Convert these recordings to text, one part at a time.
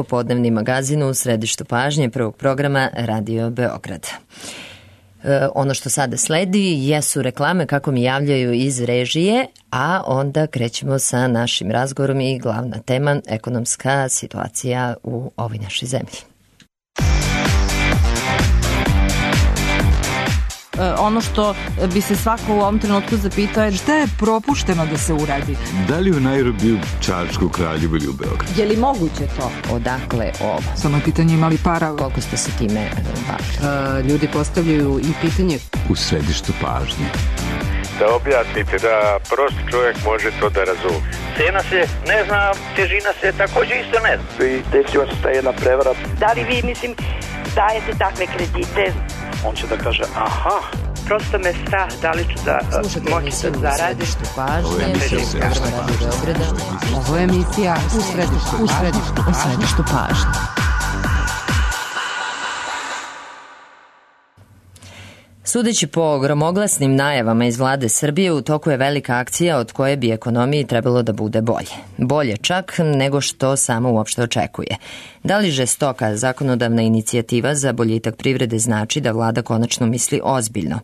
popodnevni magazin u središtu pažnje prvog programa Radio Beograd. Ono što sada sledi jesu reklame kako mi javljaju iz režije, a onda krećemo sa našim razgovorom i glavna tema ekonomska situacija u ovoj našoj zemlji. Ono što bi se svako u ovom trenutku zapitao je šta je propušteno da se uradi. Da li u Nairobiju, Čačku, Kraljevu ili u Beogradu? Je li moguće to? Odakle ovo? Samo je pitanje imali para. Koliko ste se time bavili? Ljudi postavljaju i pitanje. U središtu pažnje. Da objasnite, da prosti čovjek može to da razumije. Cena se ne zna, težina se također isto ne zna. I desila se ta jedna prevara. Da li vi, dajete takve kredite? On će da kaže, aha. Prosto me strah da li ću da moći da zaradim. Ovo je emisija u središtu pažnje. Sudeći po gromoglasnim najavama iz vlade Srbije, u toku je velika akcija od koje bi ekonomiji trebalo da bude bolje. Bolje čak nego što samo uopšte očekuje. Da li žestoka zakonodavna inicijativa za boljitak privrede znači da vlada konačno misli ozbiljno?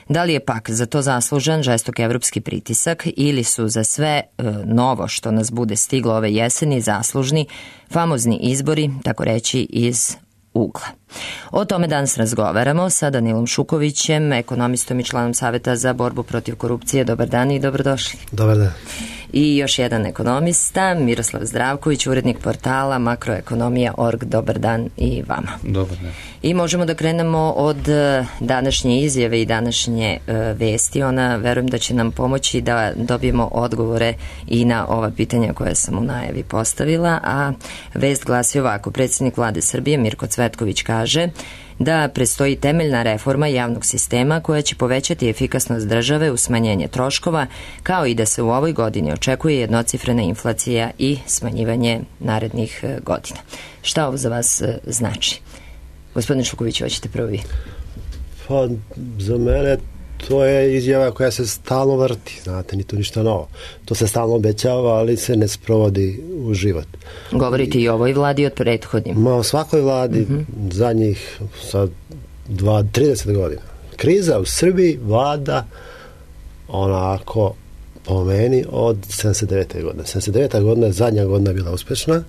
Da li je pak za to zaslužan žestok evropski pritisak ili su za sve novo što nas bude stiglo ove jeseni zaslužni famozni izbori, tako reći iz ugla? O tome danas razgovaramo sa Danilom Šukovićem, ekonomistom i članom Saveta za borbu protiv korupcije. Dobar dan i dobrodošli. Dobar dan. I još jedan ekonomista, Miroslav Zdravković, urednik portala Makroekonomija.org. Dobar dan i vama. Dobar dan. I možemo da krenemo od današnje izjave i današnje vesti. Ona, verujem da će nam pomoći da dobijemo odgovore i na ova pitanja koje sam u najavi postavila, a vest glasi ovako. Predsjednik vlade Srbije Mirko Cvetković kaže da predstoji temeljna reforma javnog sistema koja će povećati efikasnost države u smanjenje troškova, kao i da se u ovoj godini očekuje jednocifrena inflacija i smanjivanje narednih godina. Šta ovo za vas znači? Gospodin Šuković, hoćete prvi? Pa, za mene to je izjava koja se stalno vrti, znate, ni to ništa novo. To se stalno obećava, ali se ne sprovodi u život. Govorite i o ovoj vladi od prethodnim? O svakoj vladi zadnjih 30 godina. Kriza u Srbiji vlada onako po meni od 79. godine. 79. godina je zadnja godina bila uspešna,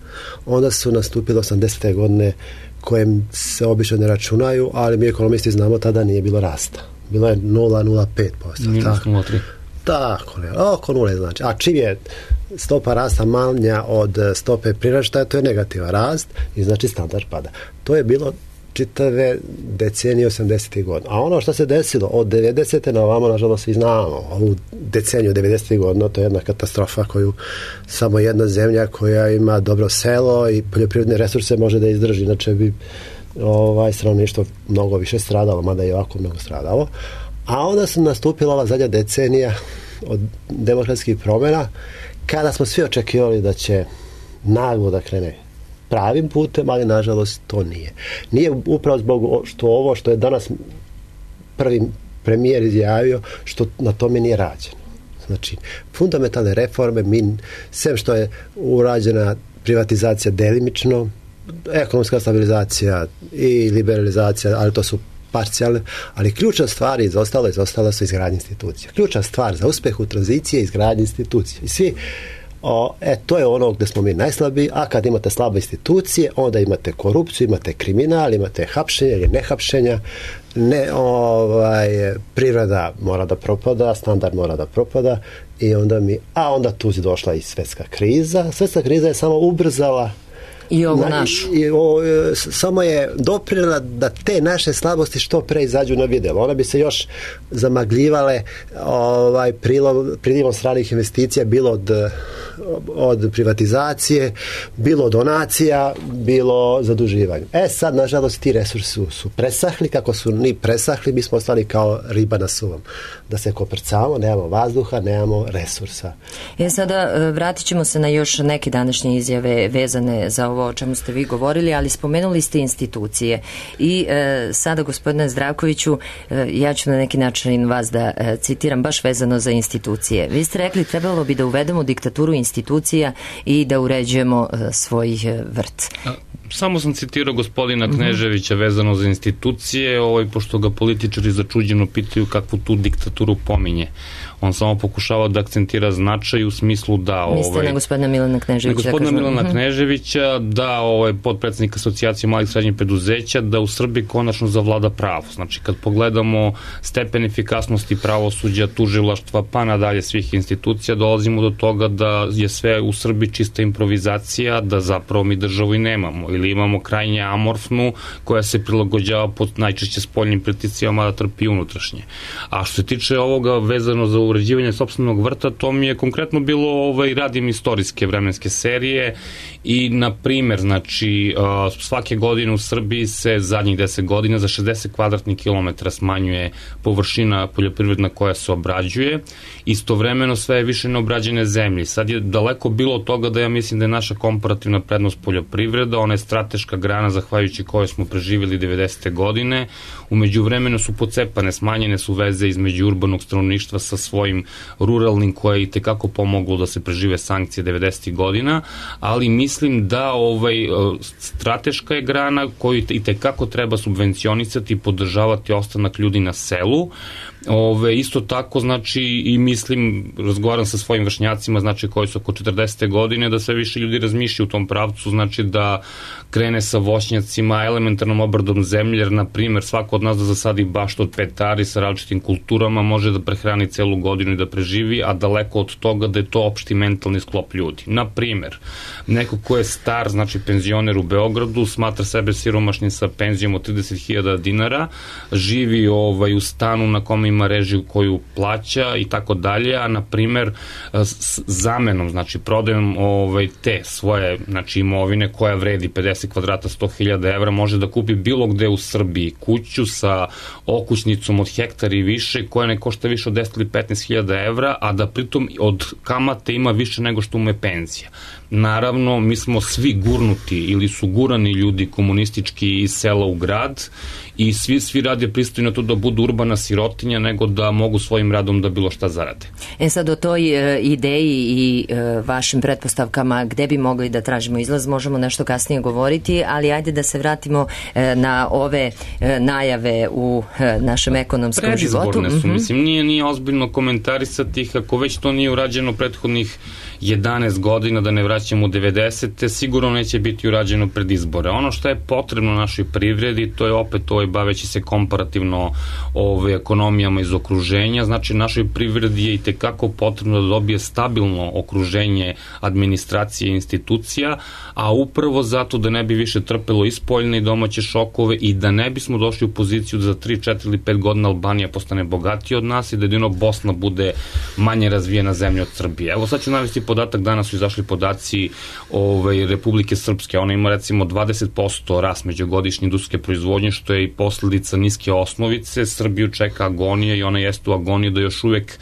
onda su nastupile 80. godine koje se obično ne računaju, ali mi ekonomisti znamo tada nije bilo rasta. Bilo je 0,05%. Minus 0,3%. Tako, oko 0 znači. A čim je stopa rasta manja od stope priraštaja, to je negativan rast i znači standard pada. To je bilo čitave decenije 80. godina. A ono što se desilo od 90. na ovamo, nažalost, svi znamo. Ovu deceniju 90. godina, to je jedna katastrofa koju samo jedna zemlja koja ima dobro selo i poljoprivredne resurse može da izdrži. Inače bi stanovništvo mnogo više stradalo, mada je ovako mnogo stradalo. A onda su nastupila ova zadnja decenija od demokratskih promjena, kada smo svi očekivali da će naglo da krene pravim putem, ali nažalost to nije. Nije upravo zbog ovo što je danas prvi premijer izjavio, što na tome nije rađeno. Znači, fundamentalne reforme, sem što je urađena privatizacija delimično, ekonomska stabilizacija i liberalizacija, ali to su parcijalne, ali ključna stvar izostala su izgradnje institucija. Ključna stvar za uspeh u tranziciji je izgradnje institucija. I svi to je ono gdje smo mi najslabiji, a kad imate slabe institucije, onda imate korupciju, imate kriminal, imate hapšenje ili nehapšenja, privreda mora da propada, standard mora da propada i onda tu je došla i svjetska kriza. Svjetska kriza je samo ubrzala i ovu našu. Samo je doprinela da te naše slabosti što pre izađu na vidjelo. One bi se još zamagljivale prilivom stranih investicija, bilo od privatizacije, bilo donacija, bilo zaduživanja. Sad, nažalost, ti resursi su presahli. Kako su ni presahli, mi smo ostali kao riba na suvom. Da se koprcamo, nemamo vazduha, nemamo resursa. Sada vratit ćemo se na još neke današnje izjave vezane za ovo o čemu ste vi govorili, ali spomenuli ste institucije. I sada, gospodine Zdravkoviću, ja ću na neki način vas da citiram baš vezano za institucije. Vi ste rekli trebalo bi da uvedemo diktaturu institucija i da uređujemo svoj vrt. Samo sam citirao gospodina Kneževića vezano za institucije, pošto ga političari začuđeno pitaju kakvu tu diktaturu pominje. On samo pokušava da akcentira značaj u smislu da... Mislite na gospodina Milana Kneževića? Na gospodina Milana Kneževića, da podpredsednik asocijacije malih srednjih preduzeća, da u Srbiji konačno zavlada pravo. Znači, kad pogledamo stepen efikasnosti pravosuđa, tužilaštva, pa nadalje svih institucija, dolazimo do toga da je sve u Srbiji čista improvizacija, da zapravo mi državu i nemamo. Ili imamo krajnje amorfnu, koja se prilagođava pod najčešće spoljnim pritiscima, da trpi unutrašnje. A što se tiče ovoga vezano za uređivanje sopstvenog vrta, to mi je konkretno bilo, radim istorijske vremenske serije i, na primer, znači, svake godine u Srbiji se zadnjih 10 godina za 60 kvadratnih kilometara smanjuje površina poljoprivredna koja se obrađuje. Istovremeno sve je više neobrađene zemlje. Sad je daleko bilo toga da ja mislim da je naša komparativna prednost poljoprivreda, ona je strateška grana zahvaljujući kojoj smo preživjeli 90. godine. Umeđu vremenu su pocepane, smanjene su veze između urbanog stanovništva sa svojim ruralnim, koje je i tekako pomoglo da se prežive sankcije 90. godina, ali mislim da strateška je grana koju i tekako treba subvencionisati i podržavati ostanak ljudi na selu. Isto tako, znači, i mislim, razgovaram sa svojim vršnjacima, znači, koji su oko 40. godine, da sve više ljudi razmišljaju u tom pravcu, znači da krene sa voćnjacima, elementarnom obradom zemlje, jer, na primer, svako od nas da zasadi baštu od 5 ari sa različitim kulturama, može da prehrani celu godinu i da preživi, a daleko od toga da je to opšti mentalni sklop ljudi. Na primer, neko ko je star, znači penzioner u Beogradu, smatra sebe siromašnim sa penzijom od 30.000 dinara, živi u stanu na kome ima režiju koju plaća i tako dalje, a na primer zamenom, znači prodajom te svoje, znači, imovine koja vredi 50 kvadrata 100.000 evra, može da kupi bilo gde u Srbiji kuću sa okućnicom od hektara i više, koja ne košta više od 10 ili 15.000 evra, a da pritom od kamate ima više nego što mu je penzija. Naravno, mi smo svi gurnuti ili su gurani ljudi komunistički iz sela u grad i svi rade pristojno to da budu urbana sirotinja nego da mogu svojim radom da bilo šta zarade. Sad o toj ideji i vašim pretpostavkama gde bi mogli da tražimo izlaz možemo nešto kasnije govoriti, ali ajde da se vratimo na ove najave u našem ekonomskom životu. Predizborne su, mislim, nije ozbiljno komentarisati ih, ako već to nije urađeno prethodnih 11 godina, da ne vraćamo u 90. sigurno neće biti urađeno pred izbore. Ono što je potrebno našoj privredi, to je opet baveći se komparativno ekonomijama iz okruženja, znači našoj privredi je i tekako potrebno da dobije stabilno okruženje administracije i institucija, a upravo zato da ne bi više trpelo i spoljne i domaće šokove i da ne bismo došli u poziciju da za 3, 4 ili 5 godina Albanija postane bogatija od nas i da jedino Bosna bude manje razvijena zemlja od Srbije. Evo sad ću navesti podatak, danas su izašli podaci Republike Srpske, ona ima recimo 20% rast međugodišnje industrijske proizvodnje, što je i posledica niske osnovice. Srbiju čeka agonija i ona jeste u agoniji da još uvek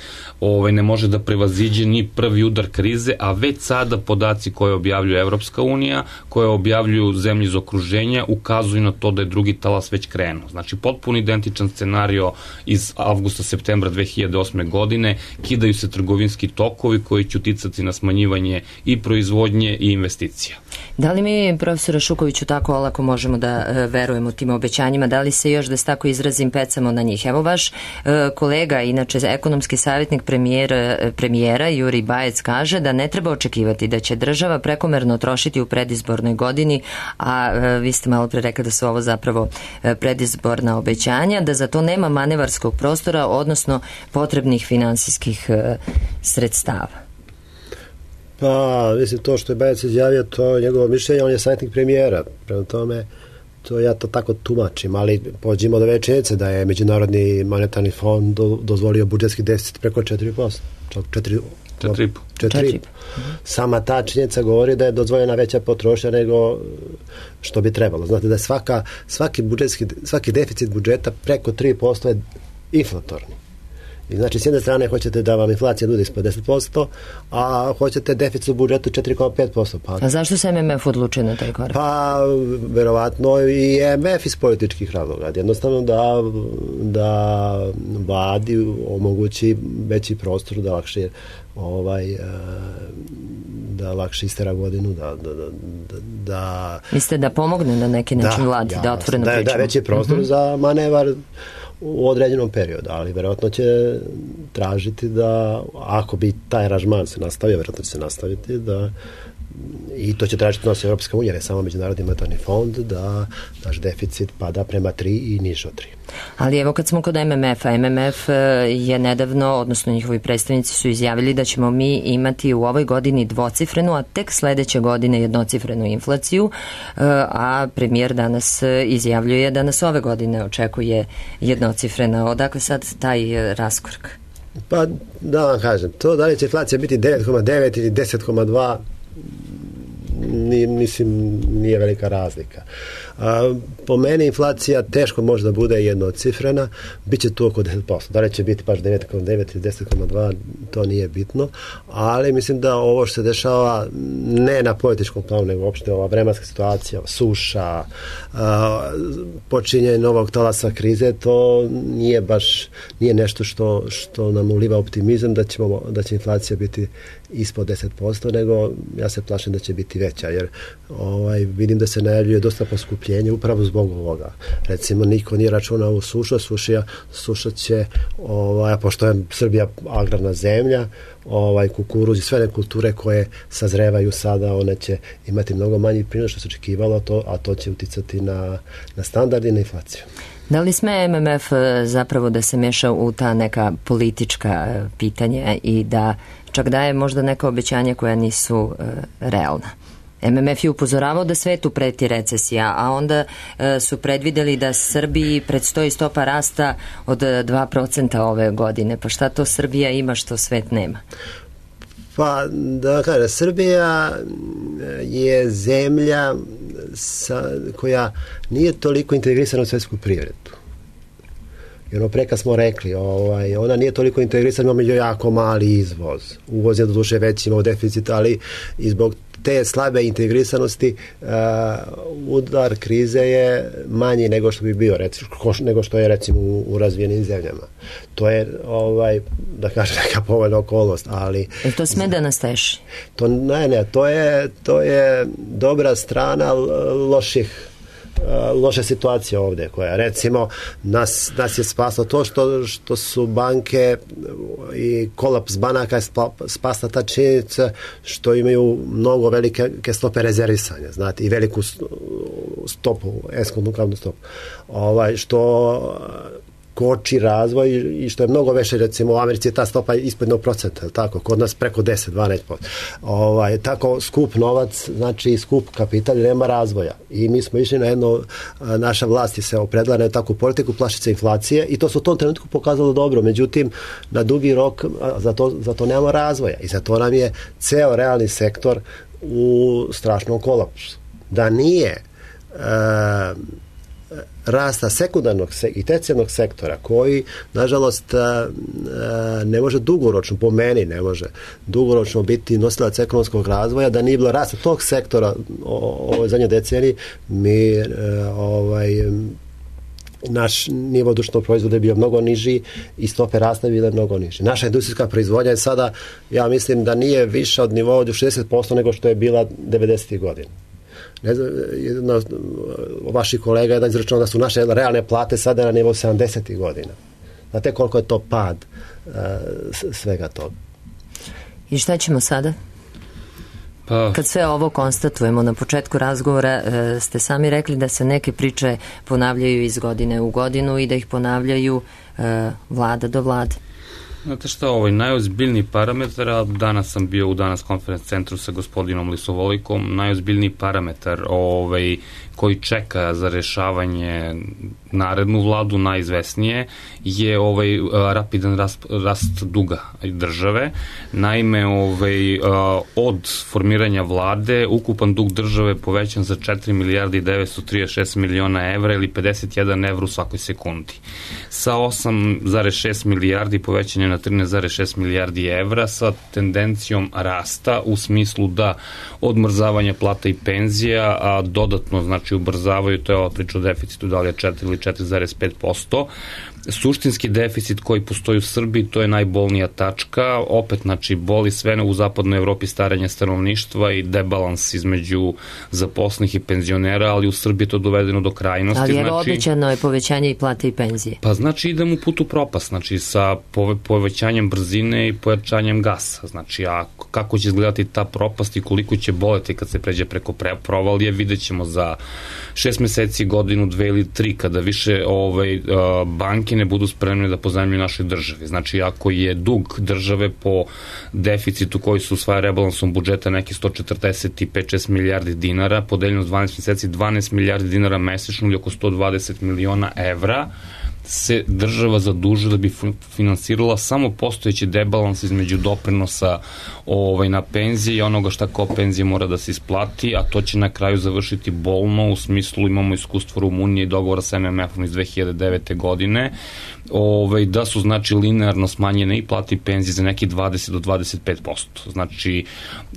ne može da prevaziđe ni prvi udar krize, a već sada podaci koje objavljuje Evropska unija, koje objavljuju zemlje iz okruženja, ukazuju na to da je drugi talas već krenuo. Znači, potpuno identičan scenario iz avgusta-septembra 2008. godine, kidaju se trgovinski tokovi koji će uticati na smanjivanje i proizvodnje i investicija. Da li mi, profesore Šukoviću, tako olako možemo da verujemo tim obećanjima? Da li se još, da se tako izrazim, pecamo na njih? Evo, vaš kolega, inače ekonomski savjetnik premijera Jurij Bajec, kaže da ne treba očekivati da će država prekomerno trošiti u predizbornoj godini, a vi ste malo pre rekli da su ovo zapravo predizborna obećanja, da za to nema manevarskog prostora, odnosno potrebnih finansijskih sredstava. Pa, mislim, to što je Bajec izjavio, to je njegovo mišljenje, on je savjetnik premijera, prema tome, to ja to tako tumačim, ali pođimo do večnice da je Međunarodni monetarni fond dozvolio budžetski deficit preko 4%, čak 4,5%. Sama ta činjenica govori da je dozvoljena veća potrošnja nego što bi trebalo. Znate da je svaki deficit budžeta preko 3% je inflatorni. I znači, s jedne strane hoćete da vam inflacija bude ispod 10%, a hoćete deficit u budžetu 4,5%. A zašto se MMF odlučio na taj korak? Pa, verovatno i MMF iz političkih razloga. Jednostavno da vladi omogući veći prostor da lakše da lakše istera godinu, da mislite da pomogne na neki način vladi, da otvoreno pričamo? Da veći prostor za manevar u određenom periodu, ali verovatno će tražiti da, ako bi taj aranžman se nastavio, verovatno će se nastaviti, da i to će tražiti nosi Europska unija, ne samo Međunarodni monetarni fond, da naš deficit pada prema 3 i niže od 3. Ali evo kad smo kod MMF-a, MMF je nedavno, odnosno njihovi predstavnici su izjavili da ćemo mi imati u ovoj godini dvocifrenu, a tek sledeće godine jednocifrenu inflaciju, a premijer danas izjavljuje da nas ove godine očekuje jednocifrena. Odakle sad taj raskorak? Pa da vam kažem, to da li će inflacija biti 9,9 ili 10,2, mislim, nije velika razlika. Po meni inflacija teško može da bude jednocifrena, bit će tu oko 10%. Da li će biti baš 9,9 ili 10,2, to nije bitno, ali mislim da ovo što se dešava ne na političkom planu, nego uopšte ova vremenska situacija, suša, počinjenje novog talasa krize, to nije nešto što nam uliva optimizam da će inflacija biti ispod 10%, nego ja se plašim da će biti veća, jer vidim da se najavljuje dosta poskupljenje upravo zbog ovoga. Recimo, niko nije računao u suša će, pošto je Srbija agrarna zemlja, kukuruz i sve one kulture koje sazrevaju sada, one će imati mnogo manji prinos što se očekivalo, a to će uticati na standard i na inflaciju. Da li sme MMF zapravo da se meša u ta neka politička pitanja i da čak daje možda neka obećanja koja nisu realna? MMF je upozoravao da svetu preti recesija, a onda su predvideli da Srbiji predstoji stopa rasta od 2% ove godine. Pa šta to Srbija ima što svet nema? Pa, da kažem, Srbija je zemlja koja nije toliko integrisana u svetsku privredu. I pre kad smo rekli, ona nije toliko integrisana, imamo jako mali izvoz. Uvoz je do duše veći, imamo deficit, ali i zbog te slabe integrisanosti udar krize je manji nego što bi bio, nego što je recimo u razvijenim zemljama. To je, da kažem, neka povoljna okolnost, ali... To sme da nas teši? To je dobra strana loše situacije ovde, koja recimo nas je spaslo to što su banke i kolaps banaka je spasla ta činjenica što imaju mnogo velike stope rezervisanja, znate, i veliku stopu, eskontnu kamatnu stopu, što koči razvoj i što je mnogo veće, recimo u Americi je ta stopa ispod 1%, tako, kod nas preko 10-12%. Tako skup novac, znači skup kapital, nema razvoja. I mi smo išli na naša vlast je se opredala na takvu politiku, plašice inflacije, i to se u tom trenutku pokazalo dobro, međutim na dugi rok za to nemamo razvoja i zato nam je ceo realni sektor u strašnom kolapsu. Da nije rasta sekundarnog i tercijarnog sektora koji, nažalost, ne može dugoročno, po meni ne može dugoročno biti nosilac ekonomskog razvoja, da nije bilo rasta tog sektora ovoj zadnjoj deceniji, naš nivo društvenog proizvoda je bio mnogo niži i stope rasta bile mnogo niži. Naša industrijska proizvodnja je sada, ja mislim da nije više od nivoa od 60% nego što je bila 90. godina. Ne znam, jedna od vaših kolega je izračunao da su naše realne plate sada na nivou 70. godina. Znate koliko je to pad svega toga. I šta ćemo sada? Kad sve ovo konstatujemo, na početku razgovora ste sami rekli da se neke priče ponavljaju iz godine u godinu i da ih ponavljaju vlada do vlade. Znate šta, najozbiljniji parametar, a danas sam bio u Danas konferenc centru sa gospodinom Lisovolikom, najozbiljniji parametar koji čeka za rešavanje narednu vladu, najizvesnije, je rapidan rast duga države. Naime, od formiranja vlade, ukupan dug države povećan za 4 milijarde i 936 miliona evra ili 51 evra u svakoj sekundi. Sa 8,6 milijardi povećan je na 13,6 milijardi evra sa tendencijom rasta u smislu da odmrzavanje plata i penzija, a dodatno znači ubrzavaju, to je ova priča o deficitu, da li je 4 ili 4,5%. Suštinski deficit koji postoji u Srbiji, to je najbolnija tačka, opet znači boli sve u zapadnoj Evropi staranje stanovništva i debalans između zaposlenih i penzionera, ali u Srbiji je to dovedeno do krajnosti. Ali je obećano je povećanje i plate i penzije. Pa znači idemo u put u propast, znači sa povećanjem brzine i pojačanjem gasa, znači a kako će izgledati ta propast i koliko će boleti kad se pređe preko provalije, vidjet ćemo za 6 meseci, godinu, 2 ili 3, kada više banke ne budu spremne da pozajmljuju našoj državi. Znači, ako je dug države po deficitu koji se usvaja rebalansom budžeta neki 145-6 milijardi dinara, podeljeno s 12 meseci 12 milijardi dinara mesečno ili oko 120 miliona evra, se država zadužuje da bi finansirala samo postojeći debalans između doprinosa na penzije i onoga šta kao penzije mora da se isplati, a to će na kraju završiti bolno, u smislu imamo iskustvo Rumunije i dogovora sa MMF-om iz 2009. godine, da su znači linearno smanjene i plate i penzije za neki 20 do 25%. Znači,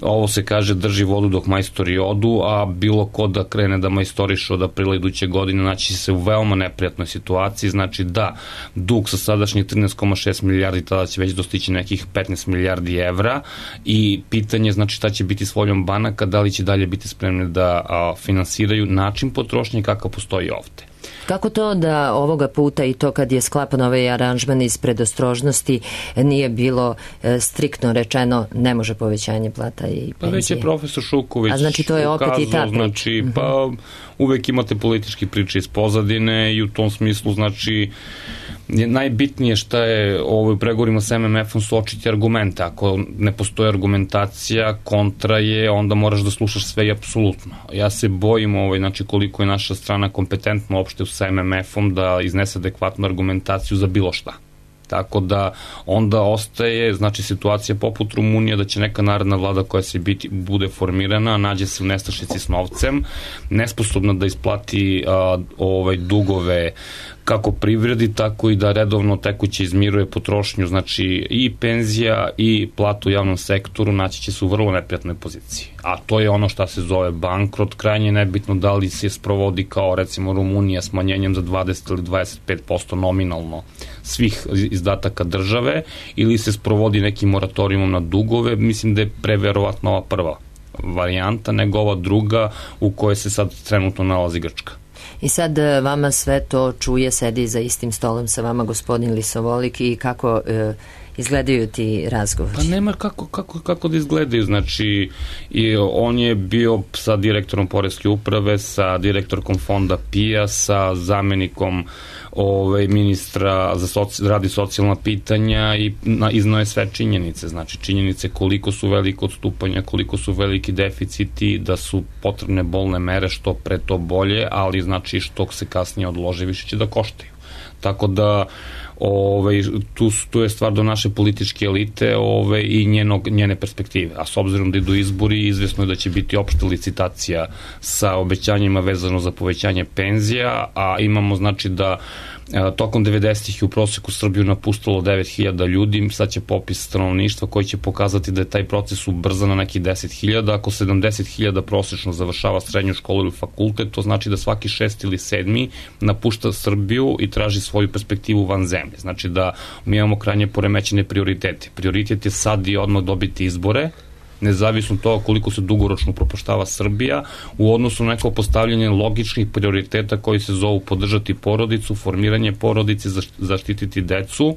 ovo se kaže drži vodu dok majstori odu, a bilo ko da krene da majstoriše od aprila iduće godine naći se u veoma neprijatnoj situaciji, znači da dug sa sadašnjih 13,6 milijardi tada će već dostići nekih 15 milijardi evra i pitanje znači šta će biti s voljom banaka, da li će dalje biti spremni da finansiraju način potrošnje kakav postoji ovde. Kako to da ovoga puta i to kad je sklapan ovaj aranžman iz predostrožnosti nije bilo striktno rečeno ne može povećanje plata i penzije? Pa već je profesor Šuković ukazao, znači to je opet i ta priča. Znači, pa uvek imate politički priče iz pozadine i u tom smislu znači najbitnije šta je u pregovorima sa MMF-om su očiti argumente. Ako ne postoji argumentacija, kontra je, onda moraš da slušaš sve i apsolutno. Ja se bojim znači koliko je naša strana kompetentna uopšte sa MMF-om da iznese adekvatnu argumentaciju za bilo šta. Tako da onda ostaje znači situacija poput Rumunije da će neka naredna vlada koja se bude formirana nađe se u nestašici s novcem, nesposobna da isplati dugove kako privredi, tako i da redovno tekuće izmiruje potrošnju, znači i penzija i platu u javnom sektoru naći će se u vrlo neprijatnoj poziciji. A to je ono šta se zove bankrot, krajnje nebitno da li se sprovodi kao recimo Rumunija smanjenjem za 20 ili 25% nominalno svih izdataka države ili se sprovodi nekim moratorijumom na dugove, mislim da je preverovatno ova prva varijanta nego ova druga u kojoj se sad trenutno nalazi Grčka. I sad vama sve to čuje, sedi za istim stolom sa vama gospodin Lisovolik i kako izgledaju ti razgovori? Pa nema kako da izgledaju, znači on je bio sa direktorom Poreske uprave, sa direktorkom fonda PIA, sa zamenikom ministra za rad i socijalna pitanja i iznao je sve činjenice, znači činjenice koliko su velike odstupanja, koliko su veliki deficiti, da su potrebne bolne mere, što pre to bolje, ali znači što se kasnije odlože više će da koštaju. Tako da tu je stvar do naše političke elite i njene perspektive. A s obzirom da idu izbori, izvesno je da će biti opšta licitacija sa obećanjima vezano za povećanje penzija, a imamo znači da tokom 90-ih u proseku Srbiju napustilo 9.000 ljudi, sad će popis stanovništva koji će pokazati da je taj proces ubrzan na neki 10.000, ako 70.000 prosečno završava srednju školu ili fakultet, to znači da svaki 6. ili 7. napušta Srbiju i traži svoju perspektivu van zemlje. Znači da mi imamo krajnje poremećene prioritete. Prioritet je sad i odmah dobiti izbore, nezavisno toga koliko se dugoročno upropaštava Srbija, u odnosu na neko postavljanje logičnih prioriteta koji se zovu podržati porodicu, formiranje porodice, zaštititi decu,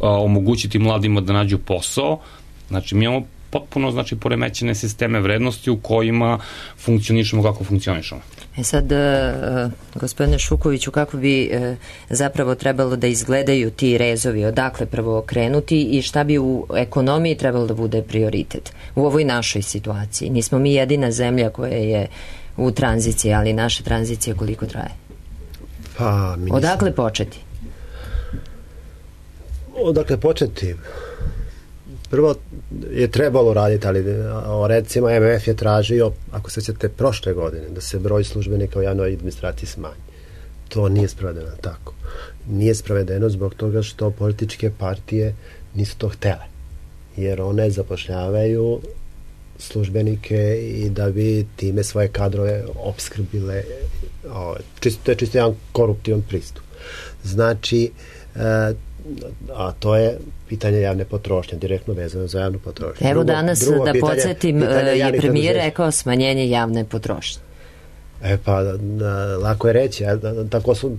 omogućiti mladima da nađu posao. Znači mi imamo potpuno znači poremećene sisteme vrednosti u kojima funkcionišemo kako funkcionišemo. Sad, gospodine Šukoviću, kako bi zapravo trebalo da izgledaju ti rezovi, odakle prvo krenuti i šta bi u ekonomiji trebalo da bude prioritet u ovoj našoj situaciji? Nismo mi jedina zemlja koja je u tranziciji, ali naša tranzicija koliko traje? Odakle početi? Odakle početi? Prvo je trebalo raditi, ali recimo MMF je tražio, ako se sjećate, prošle godine da se broj službenika u javnoj administraciji smanji. To nije sprovedeno tako. Nije sprovedeno zbog toga što političke partije nisu to htele. Jer one zapošljavaju službenike i da bi time svoje kadrove opskrbile. To je čisto jedan koruptivan pristup. Znači, a to je pitanje javne potrošnje, direktno vezano za javnu potrošnju. Evo danas, da podsjetim, je premijer rekao smanjenje javne potrošnje. Lako je reći,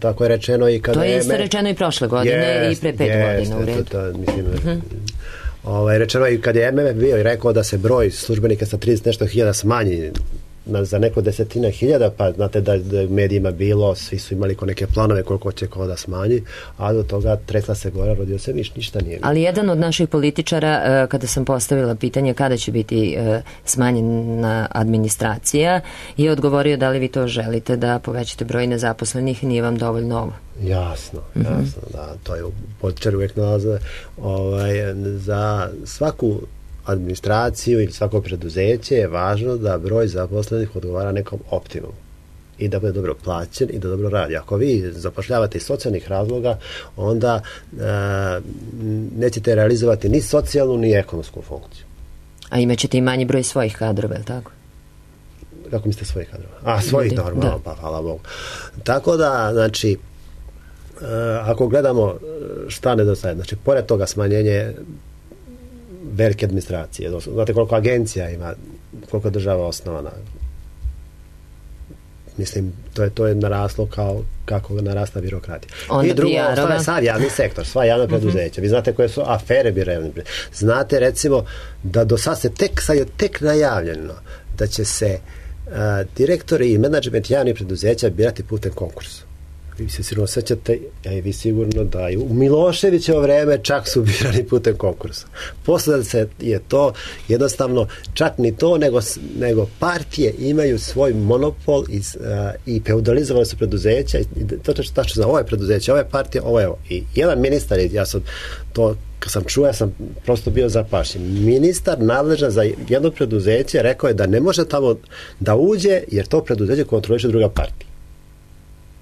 tako je rečeno i kada... To je isto rečeno i prošle godine i pre 5 godina u redu. Rečeno i kad je MMF bio i rekao da se broj službenika sa 30 nešto hiljada smanji za neko desetina hiljada, pa znate da je u medijima bilo, svi su imali neke planove koliko će ko da smanji, a do toga tresla se gora, rodio se ništa nije. Ali jedan od naših političara, kada sam postavila pitanje kada će biti smanjena administracija, je odgovorio da li vi to želite da povećate broj nezaposlenih, nije vam dovoljno ovo. Jasno, da, to je političar uvijek nalaze za svaku administraciju ili svako preduzeće je važno da broj zaposlenih odgovara nekom optimumu i da bude dobro plaćen i da dobro radi. Ako vi zapošljavate iz socijalnih razloga, onda nećete realizovati ni socijalnu ni ekonomsku funkciju. A imaćete i manji broj svojih kadrova, je li tako? Kako mislite svojih kadrova? Svojih normalno, pa hvala Bogu. Tako da, znači, ako gledamo šta nedostaje, znači, pored toga smanjenje velike administracije. Znate koliko agencija ima, koliko država osnovana. Mislim, to je naraslo kako narasta birokratija. I drugo, sav javni sektor, sva javna preduzeća. Vi znate koje su afere birevne. Znate, recimo, da do sad sad je tek najavljeno da će se direktori i menadžment javnih preduzeća birati putem konkursa. Vi se sigurno sećate, a i vi sigurno da u Miloševićevo vreme čak su birani putem konkursa. Posle se je to jednostavno čak ni to, nego partije imaju svoj monopol i feudalizovane su preduzeća i to tačno za ovo je preduzeće, ovo je partija, ovo je ovo. I jedan ministar, ja sam to kad sam čuo, ja sam prosto bio zapašen. Ministar nadležan za jedno preduzeće rekao je da ne može tamo da uđe jer to preduzeće kontroliše druga partija.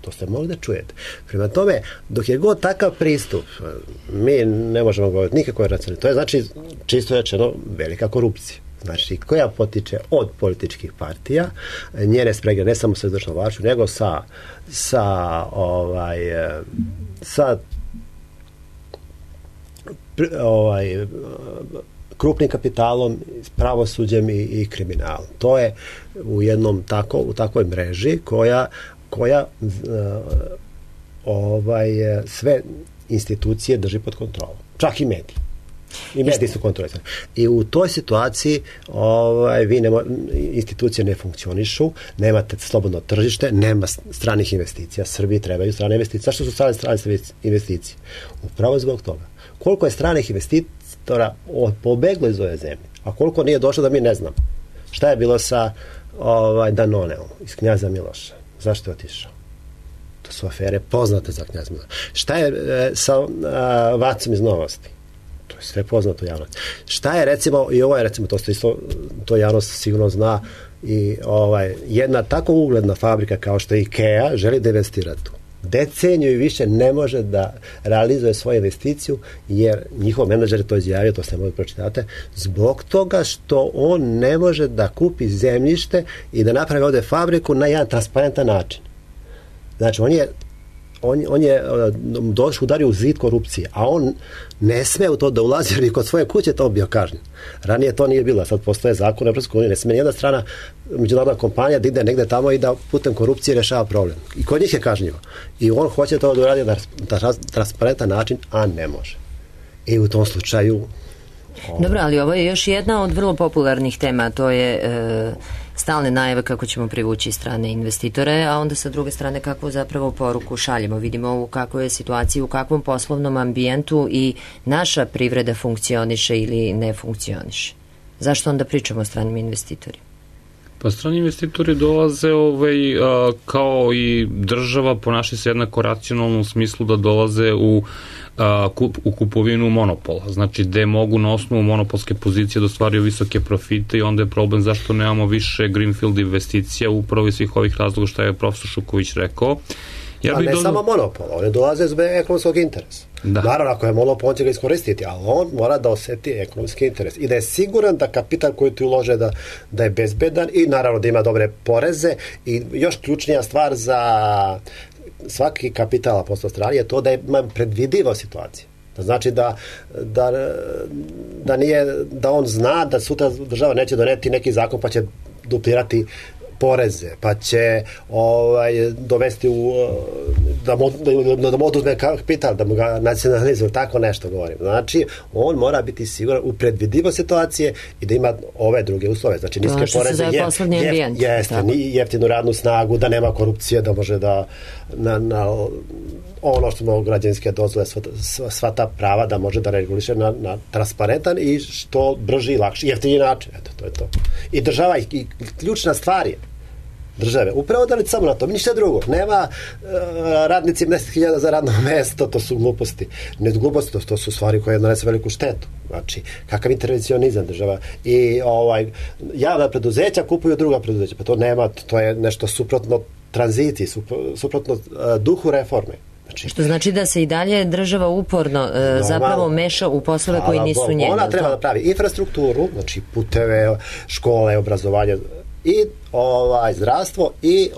To ste mogli da čujete. Prema tome, dok je god takav pristup, mi ne možemo govoriti nikakve racionalne. To je znači, čisto rečeno, velika korupcija. Znači, koja potiče od političkih partija, njene sprege, ne samo sa izvršnom vlašću, nego sa krupnim kapitalom, pravosuđem i kriminalom. To je u takvoj mreži koja sve institucije drži pod kontrolom. Čak i mediji. I mediji su kontrolisani. I u toj situaciji institucije ne funkcionišu, nemate slobodno tržište, nema stranih investicija. Srbiji trebaju strane investicije. Zašto su strane investicije? Upravo zbog toga. Koliko je stranih investitora pobeglo iz ove zemlje, a koliko nije došlo da mi ne znamo. Šta je bilo sa Danoneom iz Knjaza Miloša? Zašto je otišao? To su afere poznate za Knjaza Miloša. Šta je sa Vacom iz Novosti? To je sve poznato javnosti. Šta je recimo, i ovo je recimo, to javnost sigurno zna, i jedna tako ugledna fabrika kao što je IKEA želi da investira tu. Deceniju i više ne može da realizuje svoju investiciju jer njihov menadžer je to izjavio, to ste mogli pročitate, zbog toga što on ne može da kupi zemljište i da napravi ovde fabriku na jedan transparentan način. Znači, on je udario u zid korupcije, a on ne sme u to da ulazi jer i kod svoje kuće to bio kažnjen. Ranije to nije bilo, sad postoje zakon Evropske unije, ne sme nijedna strana međunarodna kompanija da ide negde tamo i da putem korupcije rešava problem. I kod njih je kažnjivo. I on hoće to da uradi na transparentan način, a ne može. I u tom slučaju Dobro, ali ovo je još jedna od vrlo popularnih tema, to je stalne najave kako ćemo privući strane investitore, a onda sa druge strane kakvu zapravo poruku šaljemo. Vidimo u kakvoj je situaciji, u kakvom poslovnom ambijentu i naša privreda funkcioniše ili ne funkcioniše. Zašto onda pričamo o stranim investitorima? Pa strani investitori dolaze kao i država, ponaša se jednako racionalno u smislu da dolaze u kupovinu monopola. Znači, gde mogu na osnovu monopolske pozicije da ostvaruju visoke profite i onda je problem zašto nemamo više greenfield investicija upravo iz svih ovih razloga što je profesor Šuković rekao. Samo monopol, oni dolaze zbog ekonomskog interesa. Naravno, ako je monopol, on će ga iskoristiti, ali on mora da oseti ekonomski interes i da je siguran da kapital koji ti ulože da je bezbedan i naravno da ima dobre poreze i još ključnija stvar za svaki kapital posle strane je to da ima predvidiva situacija. To znači da nije, da on zna da sutra država neće doneti neki zakon pa će duplirati poreze, pa će dovesti da mu oduzme kapital, da mu ga nacionalizuje, tako nešto govorim. Znači, on mora biti siguran u predvidivo situacije i da ima ove druge uslove. Znači, niske poreze, jeftinu radnu snagu, da nema korupcije, da može da ono što imamo građanske dozvole, sva ta prava da može da reguliše na transparentan i što brži i lakši, jeftini način. Eto, to je to. I država, i ključna stvar je države. Upravo da li samo na to, ništa drugo. Nema radnici 10.000 za radno mesto, to su gluposti. Ne gluposti, to su stvari koje nanese veliku štetu. Znači, kakav intervencionizam država. I javna preduzeća kupuju druga preduzeća. Pa to nema, to je nešto suprotno tranziciji, suprotno duhu reforme. Što znači da se i dalje država uporno zapravo meša u poslove koji nisu njene. Ona treba da pravi infrastrukturu, znači puteve, škole, obrazovanje i zdravstvo i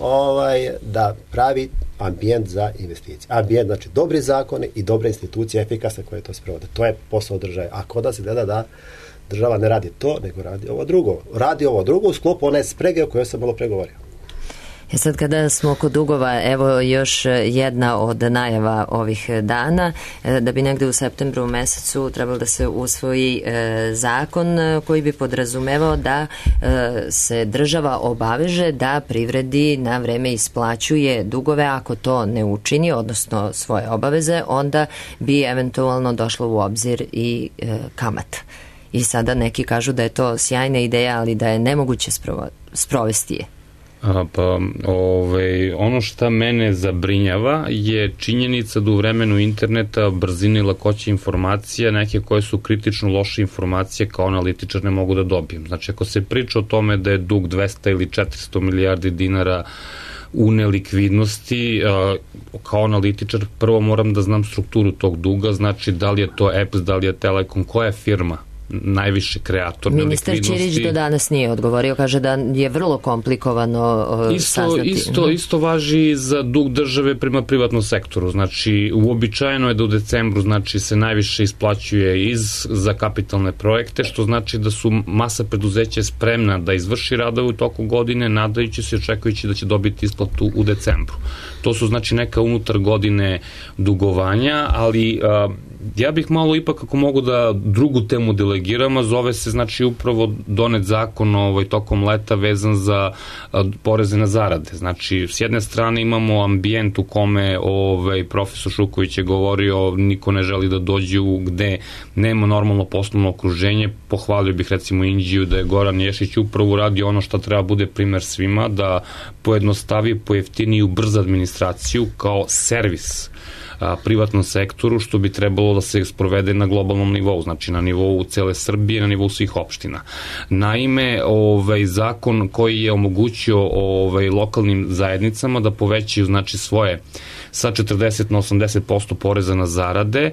da pravi ambijent za investicije. Ambijent, znači dobri zakoni i dobre institucije efikasne koje to sprovode. To je posao države. A kod da se gleda da država ne radi to, nego radi ovo drugo. Radi ovo drugo u sklopu one sprege o kojoj sam malo pregovorio. Sad kada smo kod dugova, evo još jedna od najava ovih dana, da bi negde u septembru mesecu trebalo da se usvoji zakon koji bi podrazumevao da se država obaveže da privredi na vreme isplaćuje dugove. Ako to ne učini, odnosno svoje obaveze, onda bi eventualno došlo u obzir i kamata. I sada neki kažu da je to sjajna ideja, ali da je nemoguće sprovesti je. Ono što mene zabrinjava je činjenica da u vremenu interneta brzine i lakoće informacija, neke koje su kritično loše informacije kao analitičar ne mogu da dobijem. Znači, ako se priča o tome da je dug 200 ili 400 milijardi dinara u nelikvidnosti, kao analitičar prvo moram da znam strukturu tog duga, znači da li je to EPS, da li je Telekom, koja je firma najviše kreator nelikvidnosti. Ministar Ćirić do danas nije odgovorio, kaže da je vrlo komplikovano saznati. Isto važi za dug države prema privatnom sektoru. Znači, uobičajeno je da u decembru se najviše isplaćuje za kapitalne projekte, što znači da su masa preduzeća spremna da izvrši radove u toku godine, nadajući se i očekujući da će dobiti isplatu u decembru. To su znači neka unutar godine dugovanja, ali ja bih malo ipak, ako mogu da drugu temu delegiram, a zove se znači upravo donet zakon tokom leta vezan za poreze na zarade. Znači, s jedne strane imamo ambijent u kome profesor Šuković je govorio niko ne želi da dođe gde nema normalno poslovno okruženje. Pohvalio bih recimo Inđiju da je Goran Ješić upravo uradio ono što treba bude primer svima, da pojednostavi, pojeftini i ubrza administraciju kao servis privatnom sektoru, što bi trebalo da se sprovede na globalnom nivou, znači na nivou cele Srbije, na nivou svih opština. Naime, zakon koji je omogućio lokalnim zajednicama da povećaju znači svoje sa 40 na 80% poreza na zarade,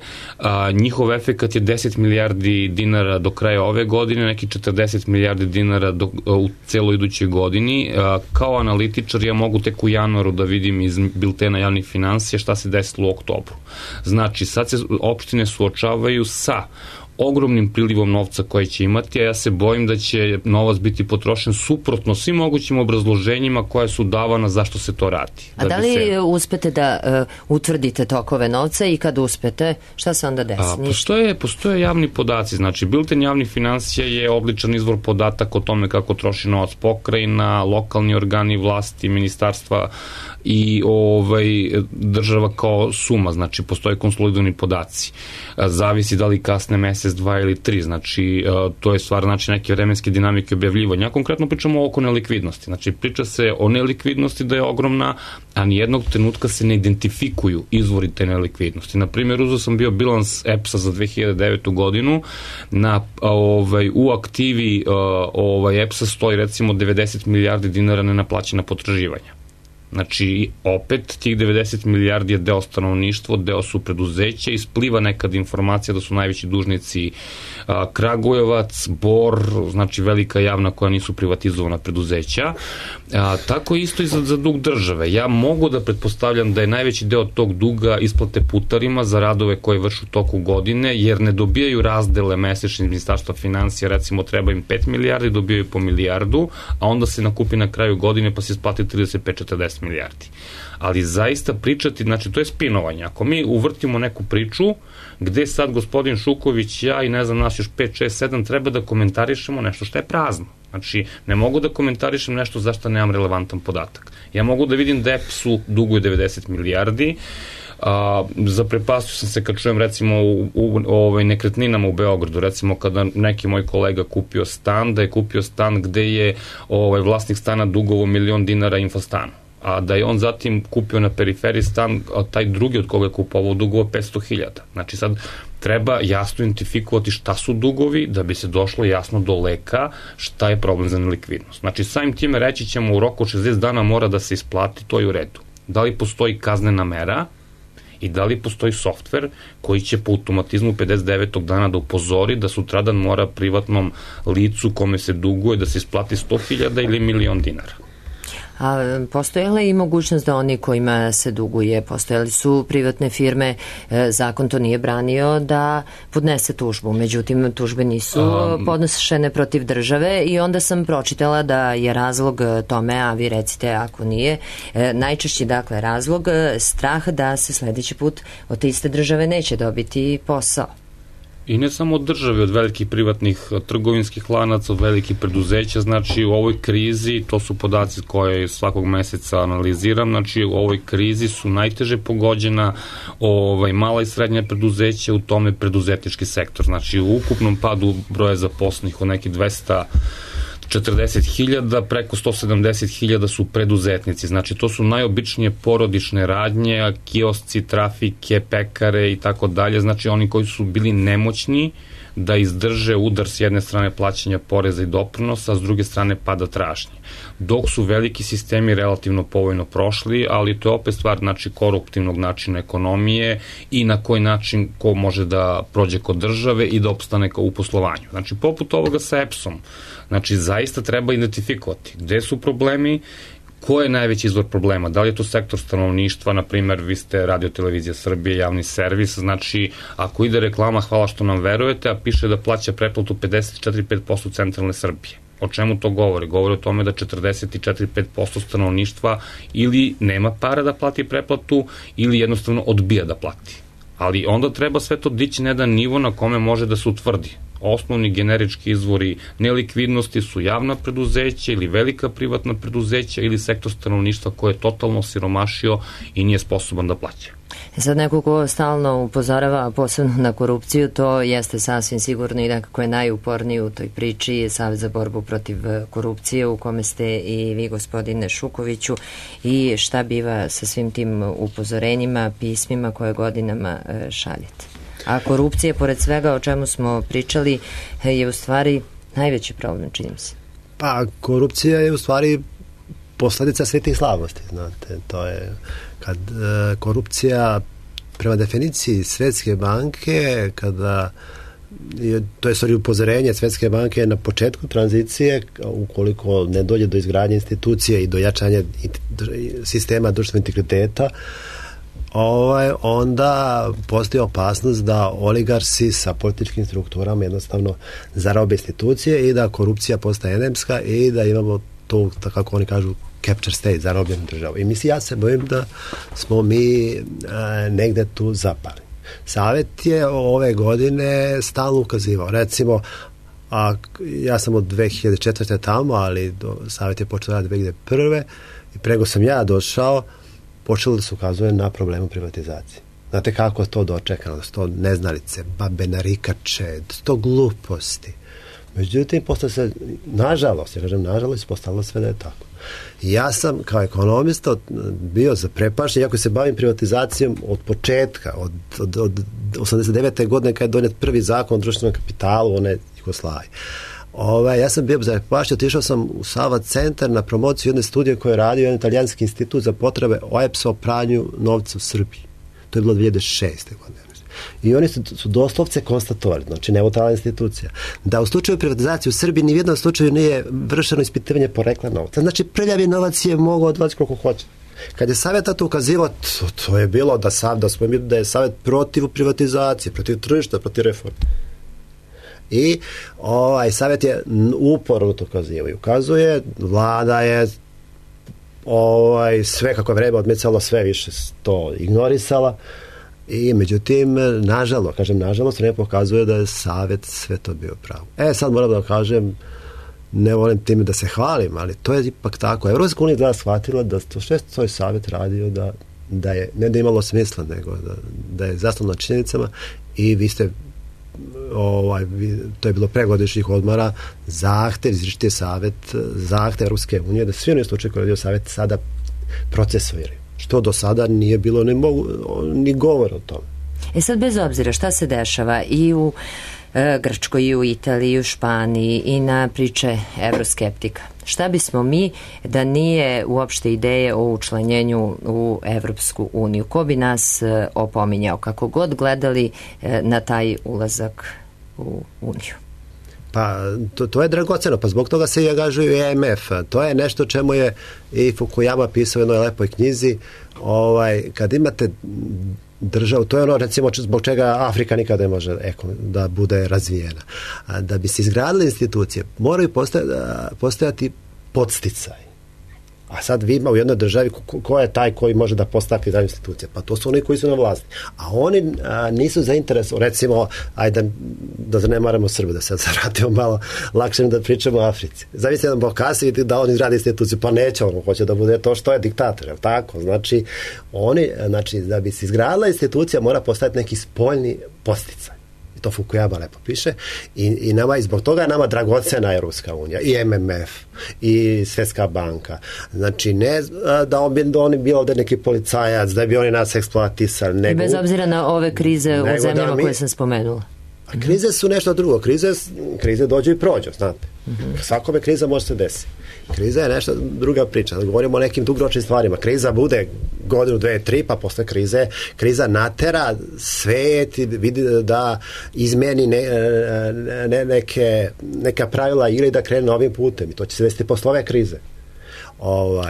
njihov efekat je 10 milijardi dinara do kraja ove godine, neki 40 milijardi dinara u celoj idućoj godini. Kao analitičar ja mogu tek u januaru da vidim iz biltena javnih finansija šta se desilo u oktobru. Znači, sad se opštine suočavaju sa ogromnim prilivom novca koje će imati, a ja se bojim da će novac biti potrošen suprotno svim mogućim obrazloženjima koja su davana zašto se to radi. A da li uspete da utvrdite tokove novca i kad uspete, šta se onda desi? Postoje javni podaci, znači bilten javnih finansija je odličan izvor podataka o tome kako troši novac pokrajina, lokalni organi vlasti, ministarstva i država kao suma, znači postoje konsolidovani podaci. Zavisi da li kasne mesec, 2 ili 3, znači to je stvar neke vremenske dinamike objavljivanja. Ja konkretno pričamo oko nelikvidnosti, znači priča se o nelikvidnosti da je ogromna, a nijednog trenutka se ne identifikuju izvori te nelikvidnosti. Na primjer, uzeo sam bio bilans EPS-a za 2009. godinu, u aktivi EPS-a stoji recimo 90 milijardi dinara nenaplaćena potraživanja. Znači, opet, tih 90 milijardi je deo stanovništva, deo su preduzeća, ispliva nekad informacija da su najveći dužnici Kragujevac, Bor, znači velika javna koja nisu privatizovana preduzeća. Tako isto i za dug države. Ja mogu da pretpostavljam da je najveći deo tog duga isplate putarima za radove koje vršu toku godine, jer ne dobijaju razdele mesečnih ministarstva finansija, recimo treba im 5 milijardi, dobijaju po milijardu, a onda se nakupi na kraju godine pa se isplati 35-40 milijardi. Ali zaista pričati, znači to je spinovanje. Ako mi uvrtimo neku priču gde sad gospodin Šuković, ja i ne znam nas još 5, 6, 7 treba da komentarišemo nešto što je prazno. Znači, ne mogu da komentarišem nešto zašto nemam relevantan podatak. Ja mogu da vidim da EPS-u duguje 90 milijardi, zaprepastio sam se kad čujem recimo u nekretninama u Beogradu, recimo kada neki moj kolega kupio stan, da je kupio stan gde je vlasnik stana dugovo $1.000.000 infostanu, a da je on zatim kupio na periferiji stan, a taj drugi od koga je kupovao dugovo 500.000. Znači sad treba jasno identifikovati šta su dugovi da bi se došlo jasno do leka šta je problem za nelikvidnost. Znači samim time reći ćemo u roku 60 dana mora da se isplati, to je u redu. Da li postoji kaznena mera i da li postoji softver koji će po automatizmu 59. dana da upozori da sutradan mora privatnom licu kome se duguje da se isplati 100.000 ili $1.000.000. A postoje li i mogućnost da oni kojima se duguje, postojali su privatne firme, zakon to nije branio da podnese tužbu, međutim tužbe nisu podnošene protiv države i onda sam pročitala da je razlog tome, a vi recite ako nije, najčešći dakle razlog strah da se sledeći put od te iste države neće dobiti posao. I ne samo od države, od velikih privatnih trgovinskih lanaca, od velikih preduzeća, znači u ovoj krizi, to su podaci koje svakog meseca analiziram, znači u ovoj krizi su najteže pogođena mala i srednja preduzeća, u tome preduzetnički sektor, znači u ukupnom padu broja zaposlenih od nekih 240.000, preko 170.000 su preduzetnici. Znači, to su najobičnije porodične radnje, kiosci, trafike, pekare i tako dalje. Znači, oni koji su bili nemoćni da izdrže udar s jedne strane plaćanja poreza i doprinosa, a s druge strane pada tražnje. Dok su veliki sistemi relativno povoljno prošli, ali to je opet stvar koruptivnog načina ekonomije i na koji način ko može da prođe kod države i da opstane u poslovanju. Znači, poput ovoga sa EPS-om, znači, zaista treba identifikovati gde su problemi, ko je najveći izvor problema, da li je to sektor stanovništva, na primer, vi ste Radio Televizija Srbije, javni servis, znači, ako ide reklama, hvala što nam verujete, a piše da plaća pretplatu 54-5% centralne Srbije. O čemu to govori? Govori o tome da 44-5% stanovništva ili nema para da plati pretplatu ili jednostavno odbija da plati. Ali onda treba sve to dići na jedan nivo na kome može da se utvrdi. Osnovni generički izvori nelikvidnosti su javna preduzeća ili velika privatna preduzeća ili sektor stanovništva koje je totalno siromašio i nije sposoban da plaća. Sad neko ko stalno upozorava posebno na korupciju, to jeste sasvim sigurno i nekako je najuporniji u toj priči Savez za borbu protiv korupcije u kome ste i vi, gospodine Šukoviću, i šta biva sa svim tim upozorenjima, pismima koje godinama šaljete. A korupcija, pored svega o čemu smo pričali, je u stvari najveći problem, čini se. Pa, korupcija je u stvari posledica svih tih slabosti, znate, to je kad korupcija prema definiciji Svetske banke, kada to je stvari upozorenje Svetske banke na početku tranzicije, ukoliko ne dođe do izgradnje institucije i do jačanja sistema društvenog integriteta, onda postoji opasnost da oligarsi sa političkim strukturama jednostavno zarobe institucije i da korupcija postaje endemska i da imamo to, kako oni kažu, capture state, zarobljenu državu. I mislim, ja se bojim da smo mi negde tu zapali. Savet je ove godine stalno ukazivao. Recimo, ja sam od 2004. tamo, ali Savet je počeo raditi 2001. i prego sam ja došao, počelo da se ukazuje na problemu privatizacije. Znate kako je to dočekano, da su to neznalice, babe narikače, to gluposti. Međutim, posle se, nažalost, postavilo sve da je tako. Ja sam kao ekonomista bio zaprepašten, iako se bavim privatizacijom od početka, od 89. godine kad je donijet prvi zakon o društvenom kapitalu, one Jugoslavije. Ja sam bio zaprepašten, otišao sam u Sava centar na promociju jedne studije koje je radio jedan italijanski institut za potrebe OEPS-a o pranju novca u Srbiji. To je bilo 2006. godine. I oni su doslovce konstatovali, znači neutralna institucija, da u slučaju privatizacije u Srbiji ni u jednom slučaju nije vršeno ispitivanje porekla novca. Znači prljavi novac je mogao odvati koliko hoće. Kad je Savet to ukazivao, to je bilo da je Savet protiv privatizacije, protiv tržišta, protiv reforme. I Savet je uporno to ukazivao i ukazuje, vlada je sve kako je vreme odmicalo, sve više to ignorisala. I međutim, nažalost, ne pokazuje da je Savet sve to bio pravo. Sad moram da kažem, ne volim time da se hvalim, ali to je ipak tako. Evropska unija je shvatila da to što je Savet radio, da je, ne da imalo smisla, nego da je zasnovno na činjenicama i vi ste, to je bilo pregodišnjih odmora, zahtev, izričiti je Savet, zahtev Evropske unije, da svi oni slučaje koje je radio Savet sada procesuiraju. Što do sada nije bilo ni govor o tome. Sad bez obzira šta se dešava i u Grčkoj, i u Italiji, i u Španiji, i na priče evroskeptika, šta bismo mi da nije uopšte ideje o učlanjenju u Evropsku uniju? Ko bi nas opominjao, kako god gledali na taj ulazak u uniju? Pa to je dragoceno, pa zbog toga se i angažuju i IMF. To je nešto čemu je i Fukuyama pisao u jednoj lepoj knjizi. Kad imate državu, to je ono recimo zbog čega Afrika nikada ne može da bude razvijena. Da bi se izgradile institucije, moraju postojati podsticaj. A sad vi ima u jednoj državi ko je taj koji može da postavi ta institucija? Pa to su oni koji su na vlasti. A oni nisu zainteresovani, recimo, ajde da ne maramo Srbe, da se vratimo malo lakše da pričamo o Africi. Zavisno jedan Bokasi vidi da on izgradi instituciju, pa neće, on hoće da bude to što je diktator, je li tako? Znači, da bi se izgradila institucija mora postaviti neki spoljni podsticaj. To Fukuyama lepo piše i zbog toga je nama dragocena Evropska unija i MMF i Svjetska banka. Znači ne da oni bio ovdje neki policajac, da bi oni nas eksploatisali. Bez obzira na ove krize u zemljama koje sam spomenula. A krize su nešto drugo. Krize dođu i prođu, znate. Svakome kriza može se desiti. Kriza je nešto druga priča. Govorimo o nekim dugoročnim stvarima. Kriza bude godinu, 2, 3, pa posle kriza natera svet i vidi da izmeni neka pravila igre da krene novim putem. I to će se desiti posle ove krize.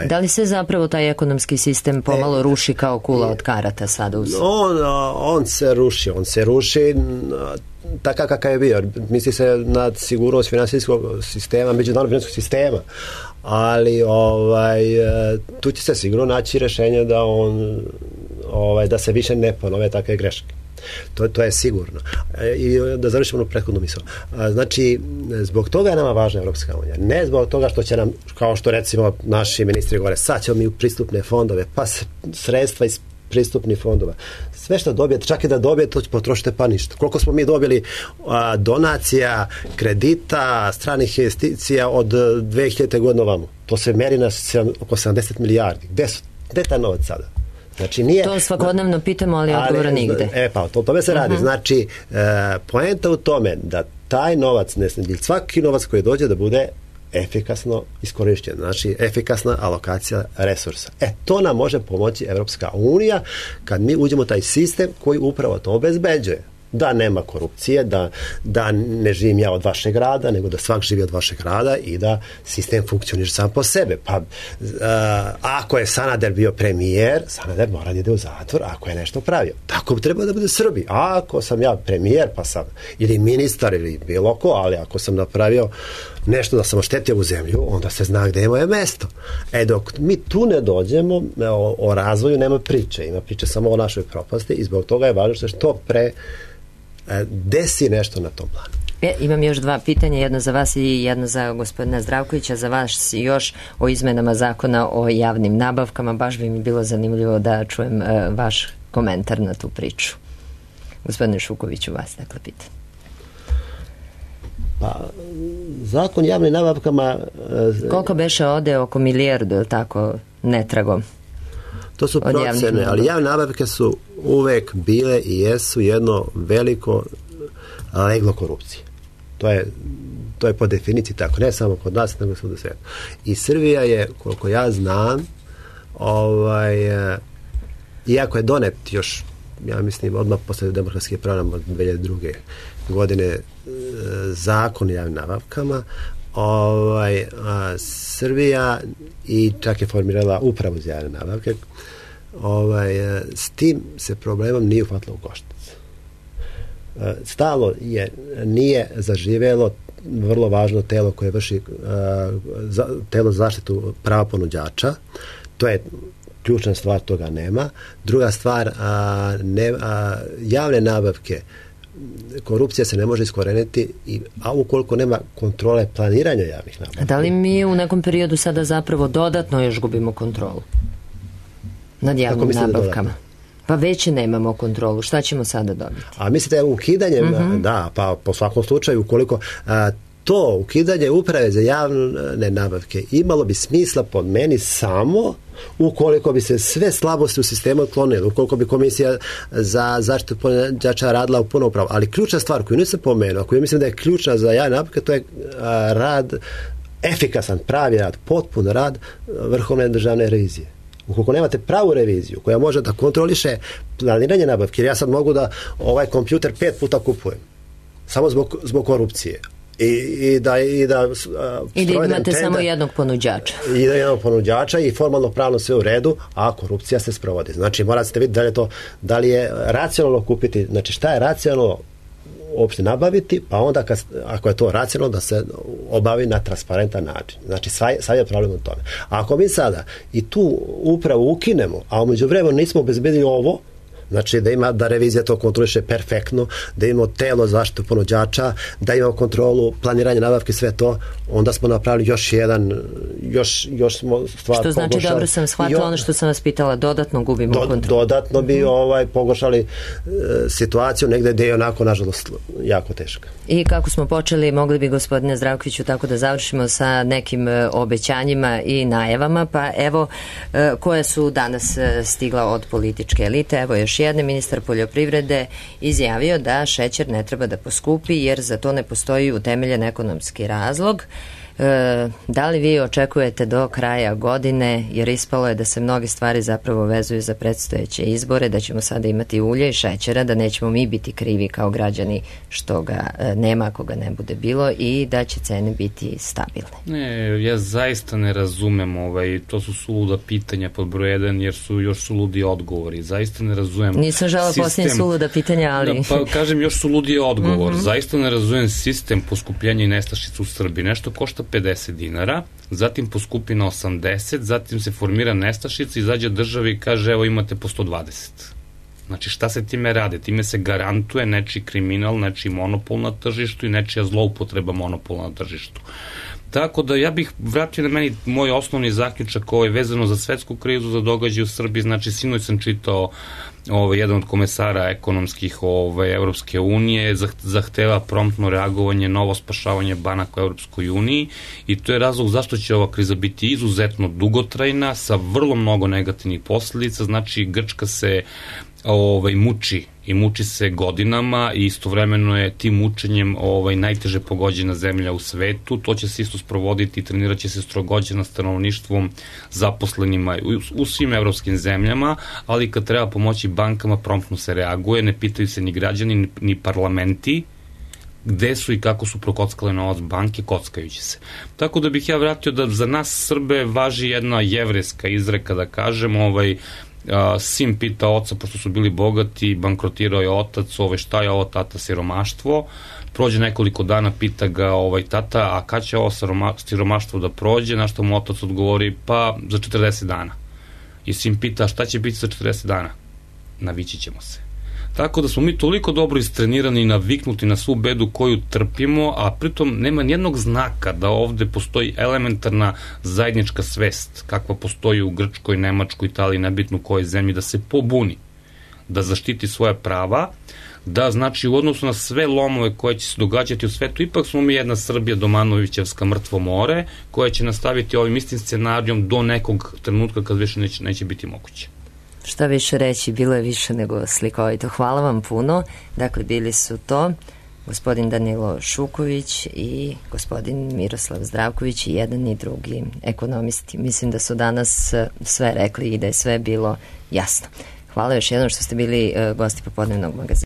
Da li se zapravo taj ekonomski sistem pomalo ruši kao kula od karata sada u svijetu? On se ruši takav kakav je bio. Misli se na sigurnost finansijskog sistema, međunarodnog finansijskog sistema, ali tu će se sigurno naći rešenje da se više ne ponove takve greške. To je sigurno. I da završimo prethodnu misao. Znači, zbog toga je nama važna Evropska unija. Ne zbog toga što će nam, kao što recimo naši ministri govore, sad ćemo mi u pristupne fondove, pa sredstva iz pristupnih fondova. Sve što dobijete, čak i da dobijete, to potrošite pa ništa. Koliko smo mi dobili donacija, kredita, stranih investicija od 2000. godine ovamo? To se meri na oko 70 milijardi. Gde je taj novac sada? Znači, nije, to svakodnevno pitamo, ali odgovora nigde. Pa, o tome se radi. Znači, poenta u tome da taj novac, svaki novac koji dođe da bude efikasno iskorišćen. Znači, efikasna alokacija resursa. To nam može pomoći Evropska unija kad mi uđemo u taj sistem koji upravo to obezbeđuje. da nema korupcije, da ne živim ja od vašeg rada, nego da svak živi od vašeg rada i da sistem funkcioniše sam po sebe. Pa ako je Sanader bio premijer, Sanader mora da ide u zatvor ako je nešto pravio. Tako bi trebalo da bude Srbi. A ako sam ja premijer, pa sam ili ministar ili bilo ko, ali ako sam napravio nešto da sam oštetio u zemlju, onda se zna gde je moje mesto. Dok mi tu ne dođemo, o razvoju nema priče. Ima priče samo o našoj propasti i zbog toga je važno što pre desi nešto na tom planu. Imam još 2 pitanja, jedno za vas i jedno za gospodina Zdravkovića. Za vas još o izmenama zakona o javnim nabavkama. Baš bi mi bilo zanimljivo da čujem vaš komentar na tu priču. Gospodine Šukoviću, vas dakle pitam. Pa, zakon javnim nabavkama... Koliko beše ode oko milijardu, ili tako, netragom? To su procene, ali javne nabavke su uvek bile i jesu jedno veliko leglo korupcije. To je po definiciji tako, ne samo kod nas, nego svuda u svijetu. I Srbija je, koliko ja znam, iako je donet još, ja mislim, odmah posle demokratskih programa od 2002. godine zakon o javnim nabavkama, Srbija i čak je formirala upravu za javne nabavke, s tim se problemom nije uhvatilo u koštac. Stalo nije zaživelo vrlo važno telo koje vrši telo za zaštitu prava ponuđača. To je ključna stvar, toga nema. Druga stvar, javne nabavke, korupcija se ne može iskoreniti, a ukoliko nema kontrole planiranja javnih nabavki. Da li mi u nekom periodu sada zapravo dodatno još gubimo kontrolu nad javnim nabavkama? Pa već nemamo kontrolu. Šta ćemo sada dobiti? A mislite ukidanjem, da, pa po svakom slučaju, ukoliko to ukidanje uprave za javne nabavke imalo bi smisla po meni samo ukoliko bi se sve slabosti u sistemu otklonile, ukoliko bi komisija za zaštitu ponuđača radila u punom pravu. Ali ključna stvar koju nisam pomenuo, koju mislim da je ključna za javne nabavke, to je rad, efikasan, pravi rad, potpun rad Vrhovne državne revizije. Ukoliko nemate pravu reviziju koja može da kontroliše planiranje nabavke, jer ja sad mogu da ovaj kompjuter 5 puta kupujem samo zbog korupcije i da imate samo jednog ponuđača i formalno pravno sve u redu, a korupcija se sprovodi. Znači morate vidjeti da li je racionalno kupiti, znači šta je racionalno uopšte nabaviti, pa onda ako je to racionalno da se obavi na transparentan način. Znači sad je problem u tome. A ako mi sada i tu upravo ukinemo, a umeđu vremenu nismo obezbedili ovo, znači da revizija to kontroliše perfektno, da imamo telo zaštitu ponuđača, da imamo kontrolu planiranja nabavke, sve to, onda smo napravili još smo stvar što znači pogoršali. Dobro sam shvatila ono što sam vas pitala, dodatno gubimo kontrolu. Dodatno bi pogoršali situaciju negde gde je onako, nažalost, jako teška. I kako smo počeli, mogli bi, gospodine Zdravkoviću, tako da završimo sa nekim obećanjima i najavama, pa evo koje su danas stigla od političke elite. Evo još jedne, ministar poljoprivrede izjavio da šećer ne treba da poskupi jer za to ne postoji utemeljen ekonomski razlog. Da li vi očekujete do kraja godine, jer ispalo je da se mnoge stvari zapravo vezuju za predstojeće izbore, da ćemo sada imati ulje i šećera, da nećemo mi biti krivi kao građani što ga nema ako ga ne bude bilo i da će cene biti stabilne? Ne, ja zaista ne razumem to su suluda pitanja pod broj 1 jer su još suludi odgovori. Zaista ne razumem. Nisam žela posljednje suluda pitanja, ali... Da, pa kažem, još suludi odgovor. Zaista ne razumem sistem poskupljenja i nestašica u Srbiji. Nešto košta 50 dinara, zatim poskupi na 80, zatim se formira nestašica, izađe država i kaže evo imate po 120. Znači šta se time rade? Time se garantuje nečiji kriminal, nečiji monopol na tržištu i nečija zloupotreba monopola na tržištu. Tako da ja bih vratio na meni moj osnovni zaključak vezano za svetsku krizu, za događaj u Srbiji. Znači sinoć sam čitao jedan od komesara ekonomskih Evropske unije zahteva promptno reagovanje, novo spašavanje banaka u Evropskoj uniji i to je razlog zašto će ova kriza biti izuzetno dugotrajna sa vrlo mnogo negativnih posledica. Znači Grčka se muči i muči se godinama i istovremeno je tim mučenjem najteže pogođena zemlja u svetu. To će se isto sprovoditi i trenirat će se strogođena stanovništvom, zaposlenima u svim evropskim zemljama, ali kad treba pomoći bankama promptno se reaguje, ne pitaju se ni građani ni parlamenti gde su i kako su prokockale novac banke, kockajući se. Tako da bih ja vratio da za nas Srbe važi jedna jevrejska izreka, da kažem, sin pita oca, pošto su bili bogati, bankrotirao je otac, šta je ovo tata, siromaštvo, prođe nekoliko dana, pita ga tata, a kad će ovo siromaštvo da prođe, na što mu otac odgovori, pa za 40 dana. I sin pita, šta će biti za 40 dana? Navići ćemo se. Tako da smo mi toliko dobro istrenirani i naviknuti na svu bedu koju trpimo, a pritom nema nijednog znaka da ovde postoji elementarna zajednička svest, kakva postoji u Grčkoj, Nemačkoj, Italiji, nebitno u kojoj zemlji, da se pobuni, da zaštiti svoja prava, da znači u odnosu na sve lomove koje će se događati u svetu, ipak smo mi jedna Srbija Domanovićevska mrtvo more, koja će nastaviti ovim istim scenarijom do nekog trenutka kad više neće biti moguće. Šta više reći, bilo je više nego slikovito. Hvala vam puno. Dakle, bili su to gospodin Danilo Šuković i gospodin Miroslav Zdravković, i jedan i drugi ekonomisti. Mislim da su danas sve rekli i da je sve bilo jasno. Hvala još jednom što ste bili gosti Popodnevnog magazina.